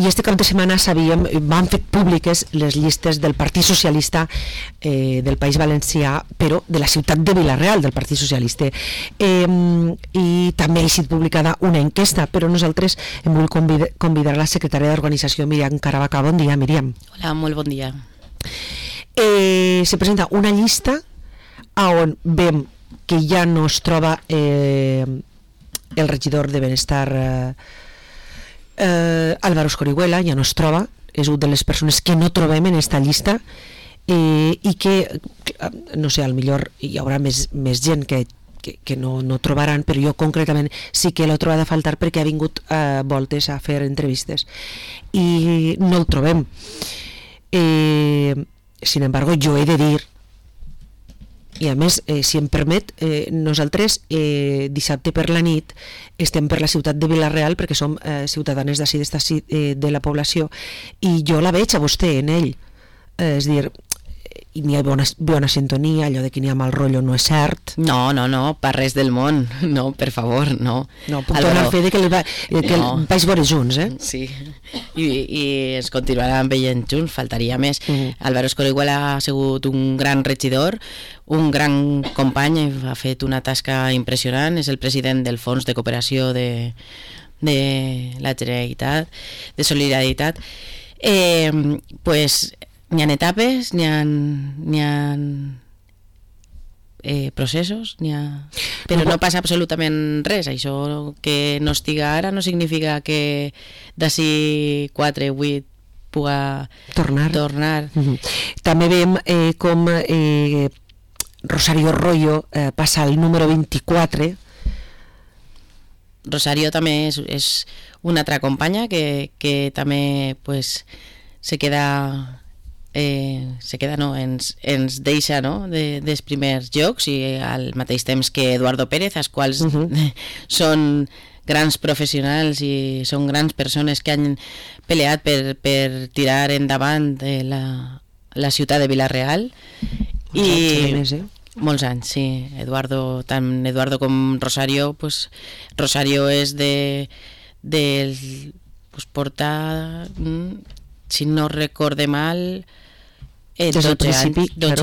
I este cap de setmana van fet públiques les llistes del Partit Socialista del País Valencià, però de la ciutat de Vila-real del Partit Socialista, i també ha estat publicada una enquesta, però nosaltres hem volgut convidar la secretària d'organització, Míriam Caravaca. Bon dia, Míriam. Hola, molt bon dia. Se presenta una llista on veiem que ja no es troba el regidor de Benestar, Álvaro Escorihuela, ja no es troba, és una de les persones que no trobem en aquesta llista, i que, no sé, potser hi haurà més gent que no trobaran, però jo concretament sí que l'he trobat a faltar perquè ha vingut voltes a fer entrevistes i no el trobem. Sin embargo, jo he de dir, i a més, si em permet, nosaltres dissabte per la nit estem per la ciutat de Vila-real perquè som ciutadanes d'ací de la població, i jo la veig a vostè en ell, és dir, i n'hi ha bona sintonia, allò de que n'hi ha mal rotllo no és cert. No, per res del món, no, per favor, no. No, puc donar fe que vaig veure junts, Sí, i es continuaran veient junts, faltaria més. Álvaro Escorihuela ha sigut un gran regidor, un gran company, ha fet una tasca impressionant, és el president del Fons de Cooperació de la Generalitat, de Solidaritat. Pues n'hi ha etapes, n'hi ha processos, però no passa absolutament res. Això que no estiga ara no significa que d'ací 4 o 8 puga tornar. També veiem com Rosario Royo passa al número 24. Rosario també és una altra companya que també pues, se queda no, ens deixa, no, dels primers jocs, i al mateix temps que Eduardo Pérez, els quals són grans professionals i són grans persones que han peleat per tirar endavant la ciutat de Vila-real, i molts anys, sí. Tant Eduardo com Rosario, pues, Rosario és pues, porta, si no recorde mal, 12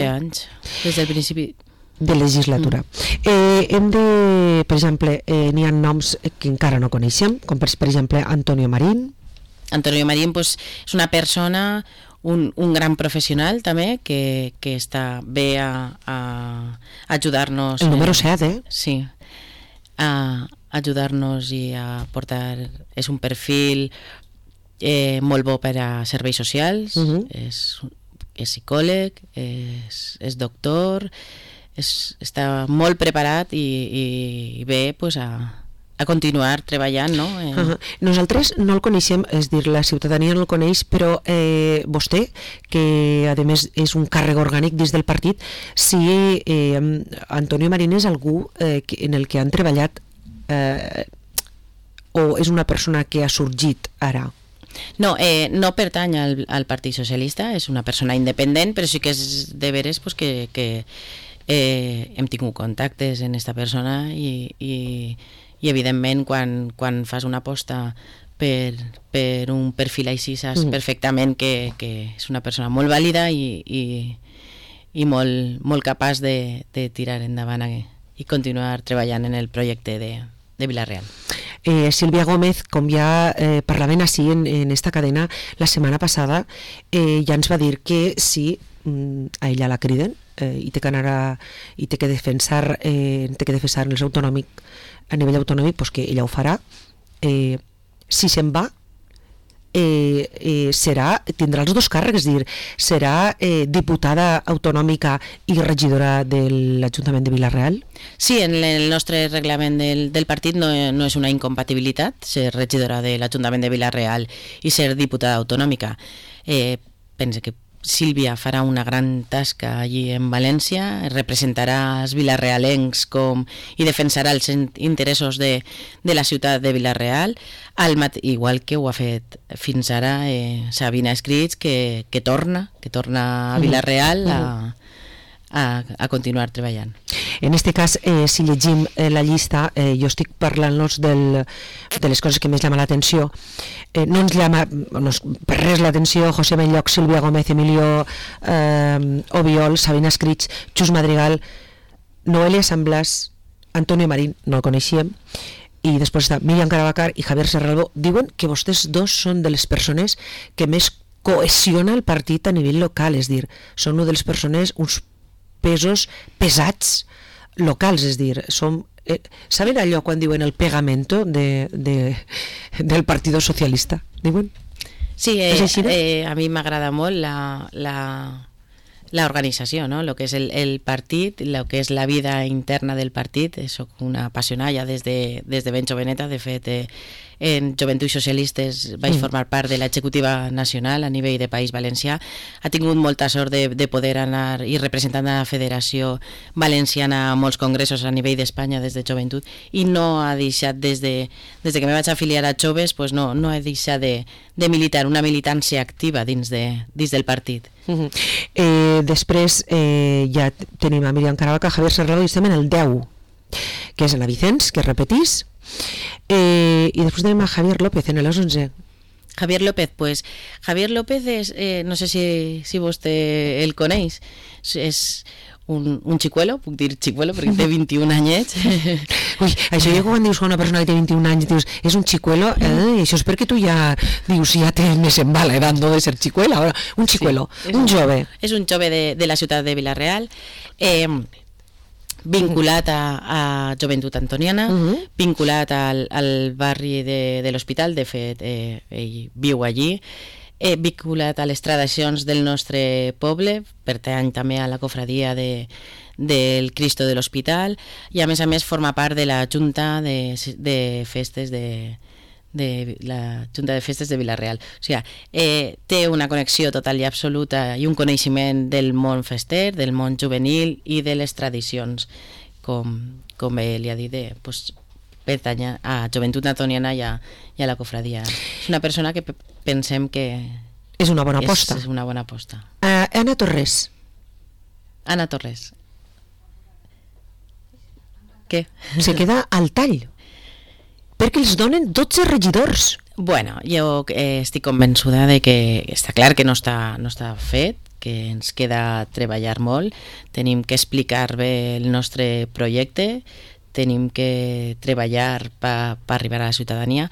anys, des del principi de legislatura. Per exemple, n'hi ha noms que encara no coneixem, com per exemple Antonio Marín. Antonio Marín pues, és una persona, un gran professional també, que està bé a ajudar-nos. El número 7, Sí, a ajudar-nos i a portar... És un perfil molt bo per a serveis socials, és psicòleg, és doctor, està molt preparat i ve pues, a continuar treballant, no? Nosaltres no el coneixem, és dir, la ciutadania no el coneix, però vostè, que a més és un càrrec orgànic dins del partit, si Antonio Marín és algú en el que han treballat o és una persona que ha sorgit ara? No, no pertany al Partit Socialista, és una persona independent, però sí que és de veres pues, que hem tingut contactes en aquesta persona i evidentment quan fas una aposta per un perfil així saps perfectament que és una persona molt vàlida i molt capaç de tirar endavant i continuar treballant en el projecte de Vila-real. Sílvia Gómez, com ja parlaven així en esta cadena la setmana passada, ja ens va dir que si a ella la criden i té que anar i té que defensar el seu autonòmic a nivell autonòmic, doncs que ella ho farà. Si se'n va, tindrà els dos càrrecs, és dir, serà diputada autonòmica i regidora de l'Ajuntament de Vila-real? Sí, en el nostre reglament del partit no és una incompatibilitat ser regidora de l'Ajuntament de Vila-real i ser diputada autonòmica. Pense que Sílvia farà una gran tasca allí en València, representarà els vilarealencs i defensarà els interessos de la ciutat de Vila-real, igual que ho ha fet fins ara Sabina Escrits, que torna a Vila-real a continuar treballant. En aquest cas, si llegim la llista, jo estic parlant-nos de les coses que més llama l'atenció. No ens llama per res l'atenció José Benlloc, Sílvia Gómez, Emilio Obiol, Sabina Escrits, Xus Madrigal, Noelia San Blas, Antonio Marín, no el coneixíem, i després està Míriam Caravacar i Javier Serralbo. Diuen que vostès dos són de les persones que més cohesiona el partit a nivell local, és dir, són una de les persones, uns pesos pesats locals, és dir, saben allò quan diuen el pegamento del Partido Socialista? Diuen? Sí, a mi m'agrada molt la organització, no? Lo que és el partit, lo que és la vida interna del partit. Soc una apassionada des de ben joveneta. De fet, en Joventuts Socialistes vaig formar part de l'executiva nacional a nivell de País Valencià. Ha tingut molta sort de poder anar i representant la Federació Valenciana a molts congressos a nivell d'Espanya des de joventut, i no ha deixat, des que me vaig afiliar a Joves, pues no he deixat de militar, una militància activa dins del partit. Després ja tenim a Míriam Caravaca, Javier Serralbo, i estem en el 10, que és la Vicens, que repetís, i després tenim a Javier López en el 11. Javier López, pues Javier López és, no sé si vostè el coneix, és un xicuelo, puc dir xicuelo perquè té 21 anyets. Ui, això jo quan dius a una persona que té 21 anys dius, és un xicuelo, i això és perquè tu ja dius, ja tens més en bala edat de ser xicuela. Un xicuelo, sí, un jove. És un jove de la ciutat de Vila-real, vinculat a Joventut Antoniana, vinculat al barri de l'Hospital. De fet, ell viu allí, vinculat a les tradicions del nostre poble, pertany també a la cofradia del Cristo de l'Hospital, i a més forma part de la Junta de Festes de la Junta de Festes de Vila-real. O sigui, té una connexió total i absoluta i un coneixement del món fester, del món juvenil i de les tradicions, com ell li ha dit, pertany a Joventut Antoniana i a la cofradia. És una persona que pensem que és una bona aposta. És una bona aposta. Anna Torres. Anna Torres. Què? Se queda al tall, perquè els donen 12 regidors. Bueno, jo estic convençuda de que està clar que no està fet, que ens queda treballar molt, tenim que explicar bé el nostre projecte, tenim que treballar per arribar a la ciutadania.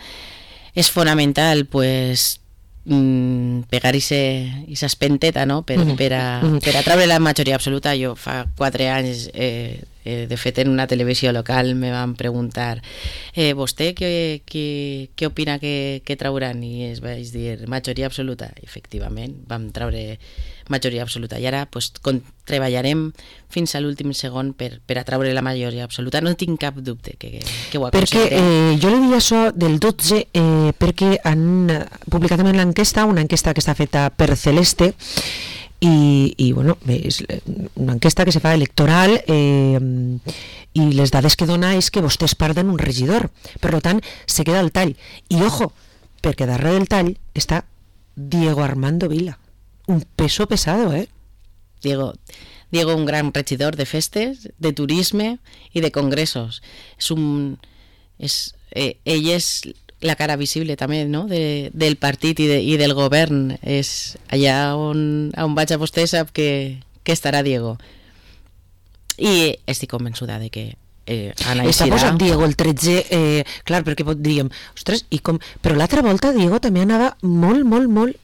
És fonamental, pues, pegar esa espenteta, no? per a treure la majoria absoluta. Jo fa 4 anys, de fet, en una televisió local me van preguntar vostè què opina que trauran, i es vaig dir majoria absoluta. Efectivament, vam treure majoria absoluta, i ara pues, treballarem fins a l'últim segon per a treure la majoria absoluta. No tinc cap dubte que ho aconseguirem. Perquè jo li diria això del 12 perquè han publicat també l'enquesta, una enquesta que està feta per Celeste, i bueno, és una enquesta que se fa electoral, i les dades que dona és que vostès perden un regidor, per tant se queda al tall. I ojo, perquè darrere del tall està Diego Armando Vila, un peso pesado, Diego, un gran regidor de festes, de turisme i de congressos. Ell és la cara visible també, no? del partit i del govern. És allà on vaig a vostè sap que estarà Diego. I estic convençuda de que Anna està posat Diego el 13, clar, perquè diríem, ostres, i com... Però l'altra volta Diego també anava molt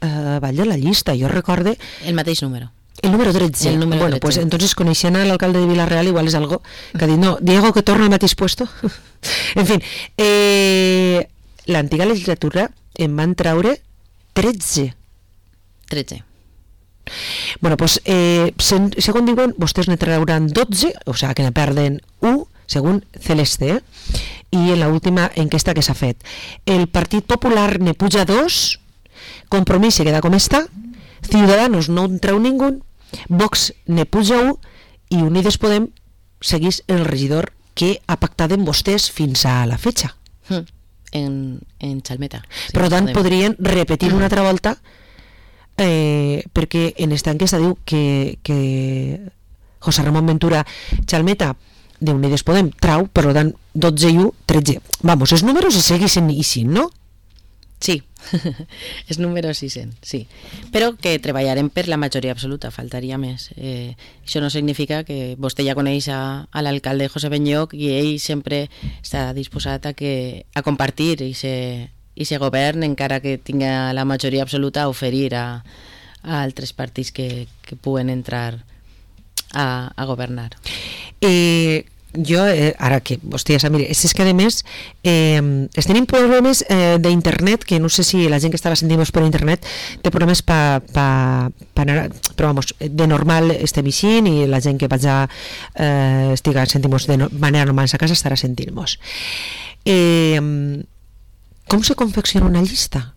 avall de la llista. Jo recorde... El mateix número. El número 13. Bueno, pues entonces coneixent a l'alcalde de Vila-real igual és algo que ha dit, no, Diego que torna al mateix puesto. En fin, l'antiga legislatura en van traure 13. Bueno, pues segons diuen, vostès ne trauran 12, o sigui que ne perden 1, según Celeste, i en l'última enquesta que s'ha fet. El Partit Popular ne puja 2, Compromís se queda com està, Ciudadanos no en treu ningú, Vox ne puja 1, i Unides Podem segueix el regidor que ha pactat amb vostès fins a la fetxa. En Xalmeta. Sí, per tant, podrien repetir una altra volta, perquè en esta enquesta diu que José Ramon Ventura Chalmeta d'Unides Podem trau, per tant 12 i 1, 13. Vamos, els números se segueixen així, no? Sí, és número 600, sí. Però que treballarem per la majoria absoluta, faltaria més. Això no significa que vostè ja coneix a l'alcalde José Benlloch i ell sempre està disposat a compartir i se govern, encara que tinga la majoria absoluta, a oferir a altres partits que puguen entrar a governar. Jo, ara que vostè ja sap, mire, és que a més tenim problemes d'internet, que no sé si la gent que estava sentint-nos per internet té problemes però vamos, de normal estem eixint i la gent que vaig a estiga sentint-nos de manera normal a casa estarà sentint-nos. Com se confecciona una llista?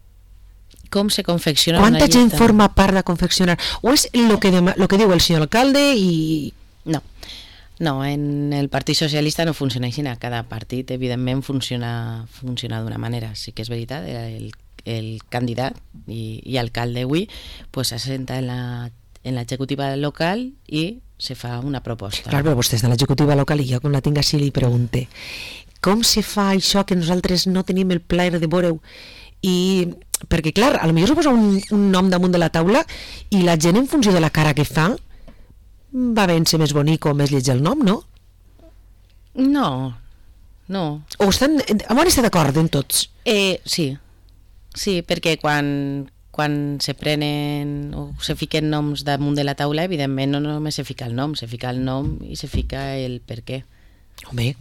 Com se confecciona una llista? Quanta gent forma part de confeccionar? O és el que diu el senyor alcalde i... No, en el Partit Socialista no funciona així. Cada partit, evidentment, funciona d'una manera. Sí que és veritat, el candidat i alcalde avui s'assenta en l'executiva local i se fa una proposta. Clar, però vostè és de l'executiva local i jo, quan la tinc així, li pregunte com se fa això que nosaltres no tenim el plaer de veure-ho? I perquè, clar, potser se posa un nom damunt de la taula i la gent, en funció de la cara que fa, va vèncer més bonic o més lleig el nom, no? No. O estan d'acord en tots? Sí, perquè quan se prenen o se fiquen noms damunt de la taula, evidentment no només se fica el nom i se fica el per què. Home,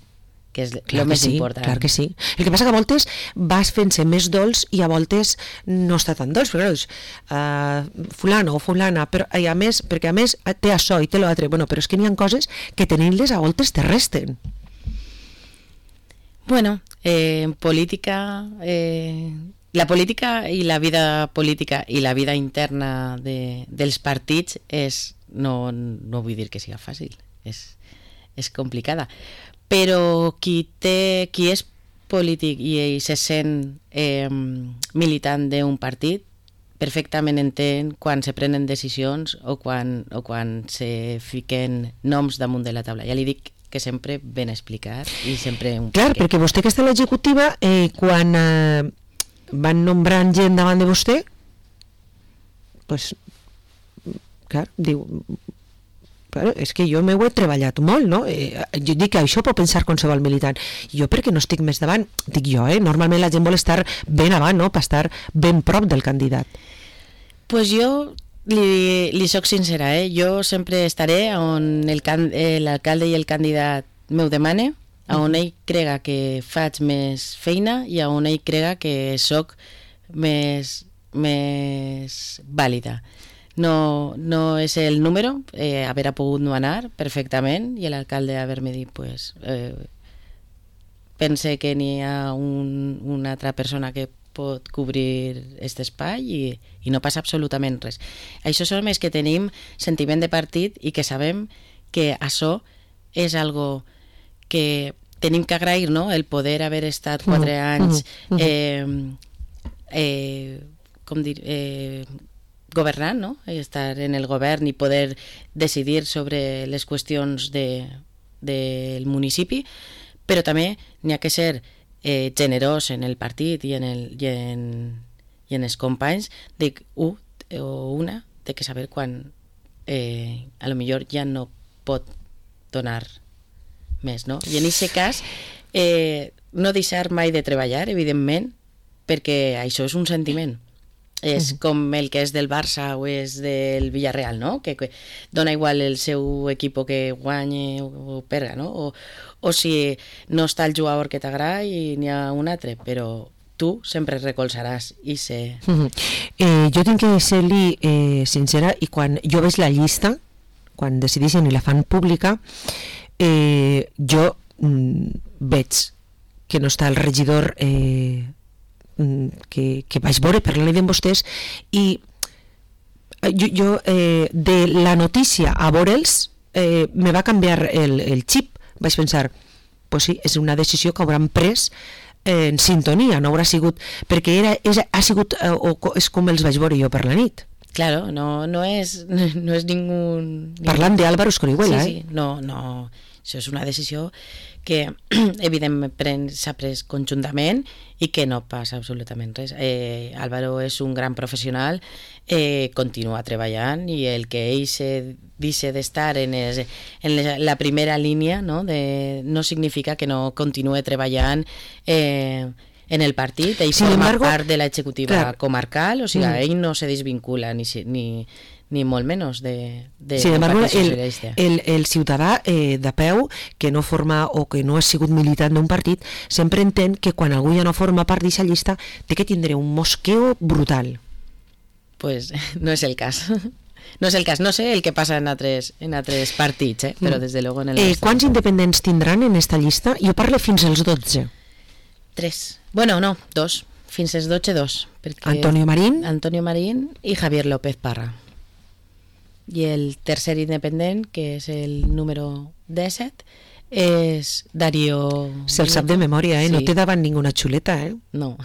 que és el més important. Clar que sí. El que passa que a voltes vas fent-se més dolç i a voltes no està tan dolç, però fulano o fulana, però a més, perquè a més té això i té l'altre, bueno, però és que n'hi ha coses que tenint-les a voltes te resten. Bueno, en política, la política i la vida política i la vida interna dels partits no vull dir que siga fàcil, és complicada. Però qui és polític i se sent militant d'un partit perfectament entén quan se prenen decisions o quan se fiquen noms damunt de la taula. Ja li dic que sempre ben explicat i sempre un... Clar, perquè vostè que està a l'executiva, quan van nombrant gent davant de vostè, doncs, clar, diu... Però és que jo m'ho he treballat molt, no? Jo dic que això pot pensar qualsevol militant. Jo perquè no estic més davant, dic jo, normalment la gent vol estar ben avant, no? Per estar ben prop del candidat. Pues jo li soc sincera, jo sempre estaré on l'alcalde i el candidat m'ho demane, on ell crega que faig més feina i on ell crega que soc més vàlida. No és el número, haver pogut no anar perfectament i l'alcalde haver-me dit pense que n'hi ha una altra persona que pot cobrir aquest espai i no passa absolutament res. Això som els que tenim sentiment de partit i que sabem que això és algo que tenim que agrair, no? El poder haver estat 4 anys governant, no? Estar en el govern i poder decidir sobre les qüestions del municipi, però també n'hi ha que ser generós en el partit i en els companys. Dic, una té que saber quan a lo millor ja no pot donar més, no? I en aquest cas no deixar mai de treballar, evidentment, perquè això és un sentiment. És com el que és del Barça o és del Villarreal, no? Que dona igual el seu equip que guanyi o perga, no? O si no està el jugador que t'agrada i n'hi ha un altre, però tu sempre recolzaràs i sé... Jo tinc que ser-li sincera, i quan jo veig la llista, quan decideixen i la fan pública, jo veig que no està el regidor que vaig veure parlant amb vostès, i jo de la notícia a veure'ls me va canviar el xip. Vaig pensar, pues sí, és una decisió que hauran pres en sintonia, no haurà sigut perquè és com els vaig veure jo per la nit. Claro, no es ningún... Parlant d'Álvaro Escorihuela, sí, no, això és una decisió que evidentment s'ha pres conjuntament i que no passa absolutament res. Álvaro és un gran professional, continua treballant, i el que ell deixa d'estar en la primera línia, no significa que no continue treballant en el partit. Ell forma part de l'executiva comarcal, o sigui, ell no se desvincula ni molt menys del Partit Socialista. El ciutadà de peu que no forma o que no ha sigut militant d'un partit sempre entén que quan algú ja no forma part d'aquesta llista té que tindre un mosqueo brutal. Pues no és el cas. No és el cas, no sé el que passa en altres partits, però des de luego en el nostre. Quants independents tindran en esta llista? Jo parlo fins als 12. 3. Bueno, no, 2. Fins als 12, 2. Antonio Marín i Javier López Parra. I el tercer independent, que és el número 17, és Darío... Se'l sap de memòria, sí. No té davant ninguna xuleta, No.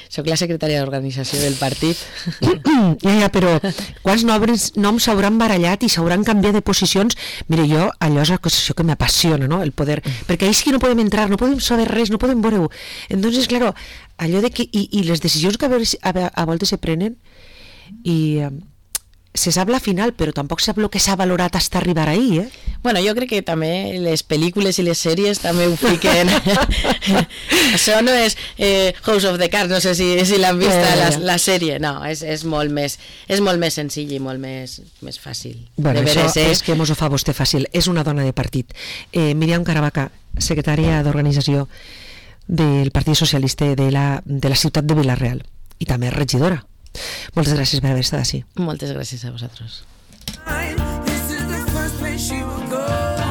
Soc la secretària d'organització del partit. Ja, però quants noms s'hauran barallat i s'hauran canviat de posicions? Mira, jo, allò és això que m'apassiona, no? El poder, perquè ahí sí que no podem entrar, no podem saber res, no podem veure-ho. Entonces, claro, allò de que... I les decisions que a voltes se prenen i... se sap la final, però tampoc sap el que s'ha valorat hasta arribar ahí, Bueno, jo crec que també les pel·lícules i les sèries també ho fiquen. Això no és House of the Cards, no sé si l'han vist la sèrie, no, és molt més senzill i molt més fàcil. Bueno, això és que mos ho fa vostè fàcil, és una dona de partit. Míriam Caravaca, secretària d'organització del Partit Socialista de la ciutat de Vila-real i també regidora. Moltes gràcies per haver estat així. Moltes gràcies a vosaltres. This is the first place she will go.